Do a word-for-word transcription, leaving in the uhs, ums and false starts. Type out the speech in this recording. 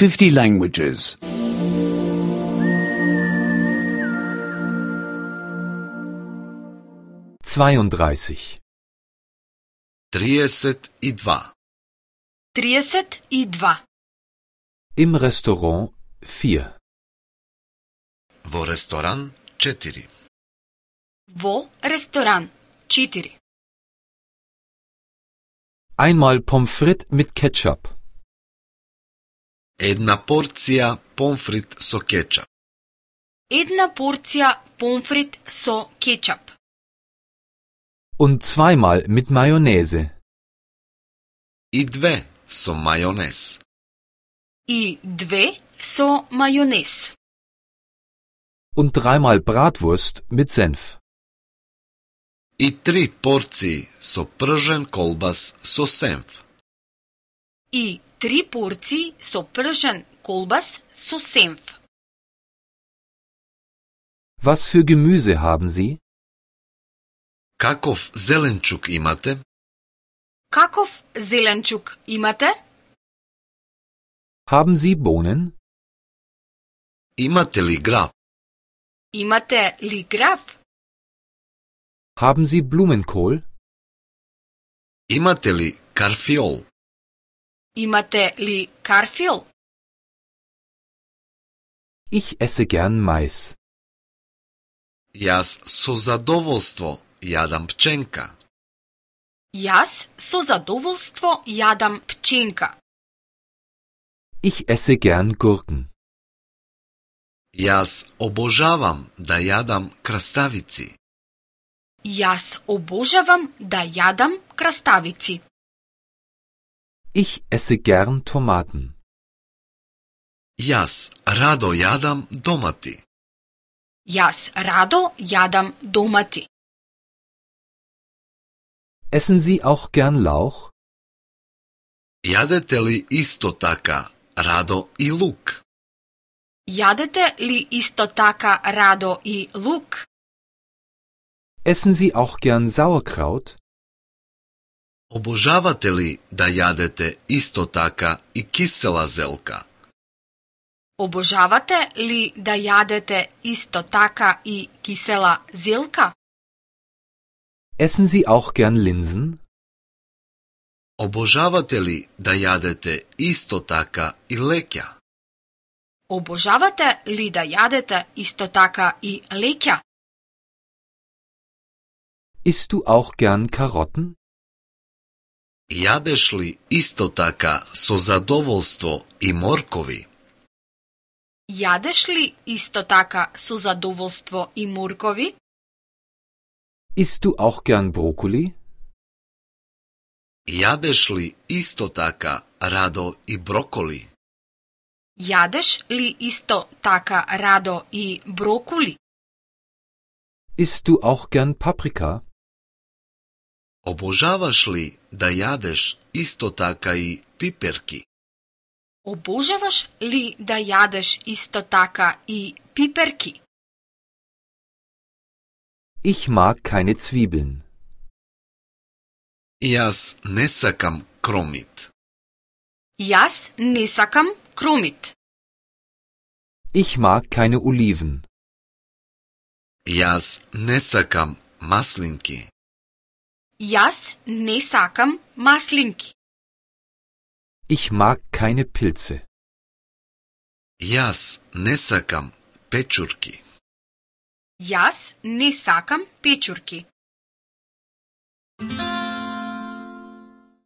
fifty languages. zweiunddreißig. триесет и два. trideset i dva. Im Restaurant vier. Во ресторан четири. Во ресторан четири. Einmal Pommes frites mit Ketchup. Една порција помфрит со кетчап. Една порција помфрит со кетчап. Und zweimal mit Mayonnaise. И две со мајонез. И две со мајонез. Und dreimal Bratwurst mit Senf. И три порции со пржен колбас со сенф. И три порции со пржен колбас со сенф. Was für Gemüse haben Sie? Каков зеленчук имате? Каков зеленчук имате? Haben Sie Bohnen? Имате ли граб? Имате ли граф? Haben Sie Blumenkohl? Имате ли карфиол? Имате ли карфиол? Ich esse gern Mais. Јас со задоволство јадам пченка. Јас со задоволство јадам пченка. Ich esse gern Gurken. Јас обожавам да јадам краставици. Јас обожавам да јадам краставици. Ich esse gern Tomaten. Јас радо јадам домати. Јас радо јадам домати. Essen Sie auch gern Lauch? Јадете ли исто така радо и лук? Јадете ли исто така радо и лук? Essen Sie auch gern Sauerkraut? Обожавате ли да јадете исто така и кисела зелка? Обожавате ли да јадете исто така и кисела зелка? Essen Sie auch gern Linsen? Обожавате ли да јадете исто така и леќа? Обожавате ли да јадете исто така и леќа? Isst du auch gern Karotten? Јадеш ли исто така со задоволство и моркови? Јадеш ли исто така со задоволство и моркови? Isst du auch gern Brokkoli? Јадеш ли исто така радо и броколи? Јадеш ли исто така радо и броколи? Isst du auch gern Paprika? Обожаваш ли да јадеш исто така и пиперки? Обожаваш ли да јадеш исто така и пиперки? Ich mag keine Zwiebeln. Јас не сакам кромит. Јас не сакам кромит. Ich mag keine Oliven. Јас не сакам маслинки. Јас не сакам маслинки. Ich mag keine Pilze. Јас не сакам печурки. Јас не сакам печурки.